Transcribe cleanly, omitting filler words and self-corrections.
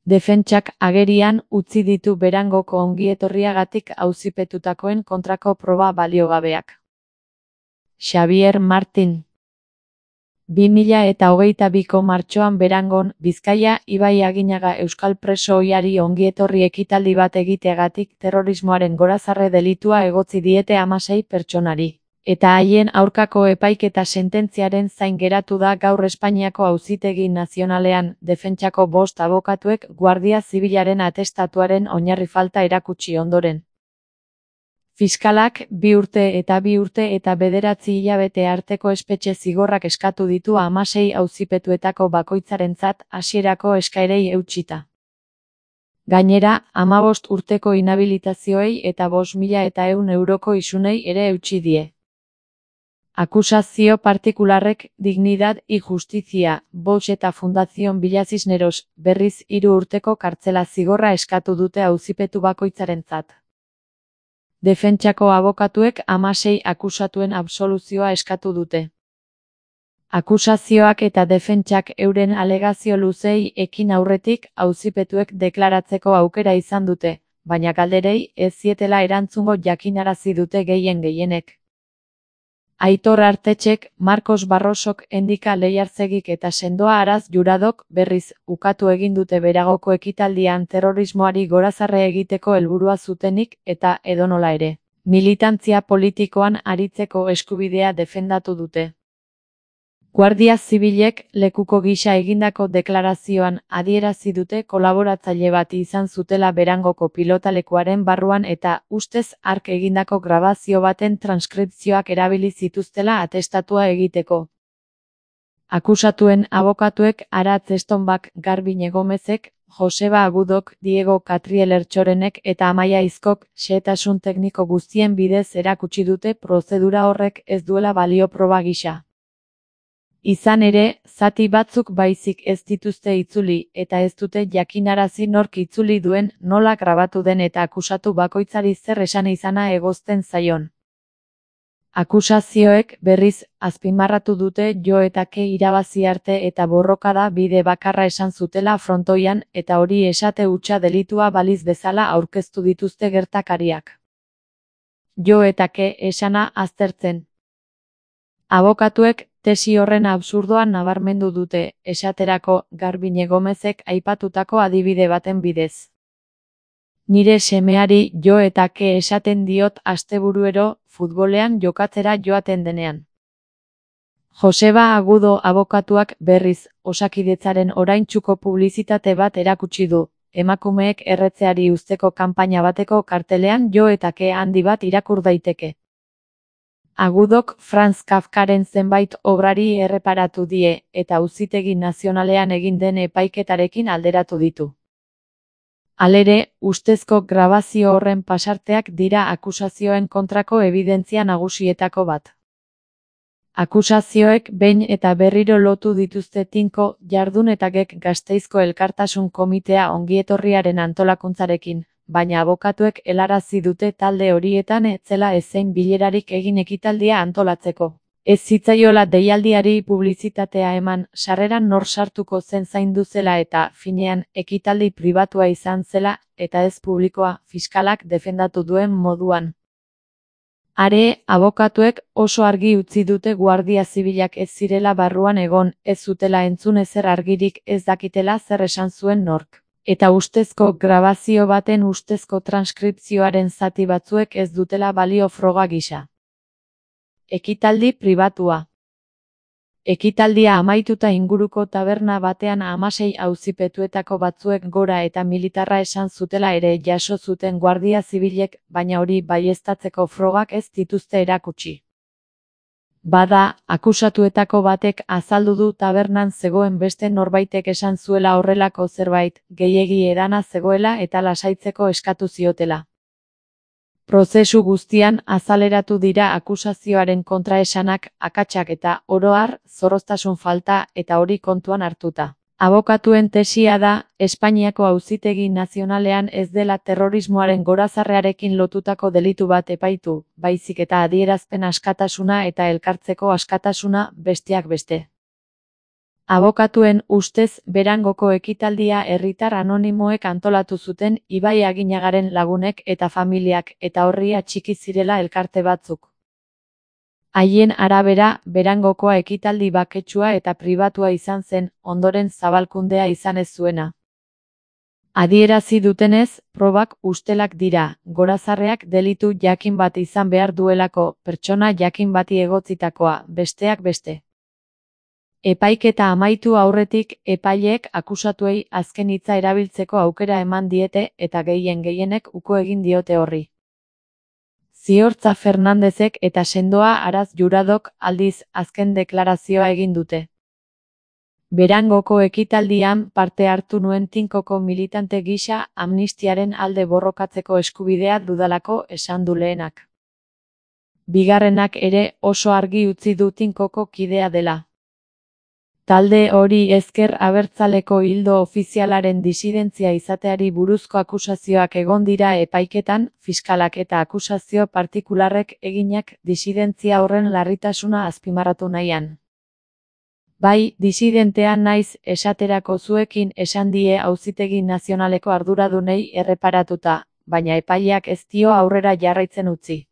Defentsak agerian utzi ditu Berangoko ongietorriagatik auzipetutakoen kontrako proba baliogabeak. Xabier Martin 2022ko martxoan Berangon, Bizkaia, Ibai Aginaga euskal preso ohiari ongietorri ekitaldi bat egiteagatik terrorismoaren gorazarre delitua egotzi diete 16 pertsonari. Eta haien aurkako epaiketa sententziaren zain geratu da gaur Espainiako Auzitegi Nazionalean, defentsako 5 abokatuek Guardia Zibilaren atestatuaren oinarri falta erakutsi ondoren. Fiskalak 2 urte eta 2 urte eta 9 hilabete arteko espetxe zigorrak eskatu ditu 16 auzipetuetako bakoitzarentzat hasierako eskaerei eutsita. Gainera, 15 urteko inhabilitazioei eta 5.100 euroko isunei ere eutsi die. Akusazio partikularrek Dignidad y Justicia, Vox eta Fundación Villa Cisneros, berriz 3 urteko kartzela zigorra eskatu dute auzipetu bakoitzarentzat. Defentsako abokatuek 16 akusatuen absoluzioa eskatu dute. Akusazioak eta defentsak euren alegazio luzei ekin aurretik auzipetuek deklaratzeko aukera izan dute, baina galderei ez zietela erantzungo jakinarazi dute gehienek. Aitor Artetxek, Marcos Barrosok, Endika Leiarzegik eta Sendoa Araz Juradok berriz ukatu egin dute Beragoko ekitaldian terrorismoari gorazarre egiteko helburua zutenik eta edonola ere, militantzia politikoan aritzeko eskubidea defendatu dute. Guardia Zibilek lekuko gisa egindako deklarazioan adierazi dute kolaboratzaile bat izan zutela Berangoko pilotalekuaren barruan eta ustez hark egindako grabazio baten transkripzioak erabili zituztela atestatua egiteko. Akusatuen abokatuek Aratz Estonbak, Garbiñe Gomezek, Joseba Agudok, Diego Catriel Ertxorenek eta Amaia Izkok xehetasun tekniko guztien bidez erakutsi dute prozedura horrek ez duela balio proba gisa. Izan ere, zati batzuk baizik ez dituzte itzuli eta ez dute jakinarazi nork itzuli duen, nola grabatu den eta akusatu bakoitzari zer esan izana egozten zaion. Akusazioek berriz azpimarratu dute jo eta ke irabazi arte eta borrokada bide bakarra esan zutela frontoian eta hori esate hutsa delitua baliz bezala aurkeztu dituzte gertakariak. Jo eta ke esana aztertzen. Abokatuek tesi horren absurdoa nabarmendu dute, esaterako Garbiñe Gomezek aipatutako adibide baten bidez. Nire semeari jo eta ke esaten diot asteburuero futbolean jokatzera joaten denean. Joseba Agudo abokatuak berriz Osakidetzaren oraintsuko publizitate bat erakutsi du, emakumeek erretzeari uzteko kanpaina bateko kartelean jo eta ke handi bat irakur daiteke. Agudok Franz Kafkaren zenbait obrari erreparatu die eta Auzitegi Nazionalean egin den epaiketarekin alderatu ditu. Halere, ustezko grabazio horren pasarteak dira akusazioen kontrako ebidentzia nagusietako bat. Akusazioek behin eta berriro lotu dituzte Tinko Jardun eta Gek Gasteizko Elkartasun Komitea ongietorriaren antolakuntzarekin, baina abokatuek helarazi dute talde horietan ez zela ezein bilerarik egin ekitaldia antolatzeko. Ez zitzaiola deialdiari publizitatea eman, sarreran nor sartuko zen zaindu zela eta, finean, ekitaldi pribatua izan zela, eta ez publikoa, fiskalak defendatu duen moduan. Are, abokatuek oso argi utzi dute Guardia Zibilak ez zirela barruan egon, ez zutela entzun ezer argirik ez dakitela zer esan zuen nork. Eta ustezko grabazio baten ustezko transkripzioaren zati batzuek ez dutela balio froga gisa. Ekitaldi pribatua. Ekitaldia amaituta inguruko taberna batean 16 auzipetuetako batzuek gora eta militarra esan zutela ere jaso zuten Guardia Zibilek, baina hori baieztatzeko frogak ez dituzte erakutsi. Bada, akusatuetako batek azaldu du tabernan zegoen beste norbaitek esan zuela horrelako zerbait, gehiegi edana zegoela eta lasaitzeko eskatu ziotela. Prozesu guztian azaleratu dira akusazioaren kontraesanak, akatsak eta, oro har, zorroztasun falta eta hori kontuan hartuta. Abokatuen tesia da, Espainiako Auzitegi Nazionalean ez dela terrorismoaren gorazarrearekin lotutako delitu bat epaitu, baizik eta adierazpen askatasuna eta elkartzeko askatasuna besteak beste. Abokatuen ustez, Berangoko ekitaldia herritar anonimoek antolatu zuten Ibai Aginagaren lagunek eta familiak eta horri atxiki zirela elkarte batzuk. Haien arabera, Berangokoa ekitaldi baketsua eta pribatua izan zen, ondoren zabalkundea izan ez zuena. Adierazi dutenez, probak ustelak dira, gorazarreak delitu jakin bat izan behar duelako, pertsona jakin bati egotzitakoa, besteak beste. Epaiketa amaitu aurretik, epaileek akusatuei azken hitza erabiltzeko aukera eman diete eta gehienek uko egin diote horri. Ziortza Fernandezek eta Sendoa Araz Juradok aldiz azken deklarazioa egin dute. Berangoko ekitaldian parte hartu nuen tinkoko militante gisa amnistiaren alde borrokatzeko eskubidea dudalako esan du lehenak. Bigarrenak ere oso argi utzi du tinkoko kidea dela. Talde hori ezker abertzaleko ildo ofizialaren disidentzia izateari buruzko akusazioak egon dira epaiketan, fiskalak eta akusazio partikularrek eginak disidentzia horren larritasuna azpimarratu nahian. Bai, disidentea naiz esaterako zuekin esan die Auzitegi Nazionaleko arduradunei erreparatuta, baina epaileak ez dio aurrera jarraitzen utzi.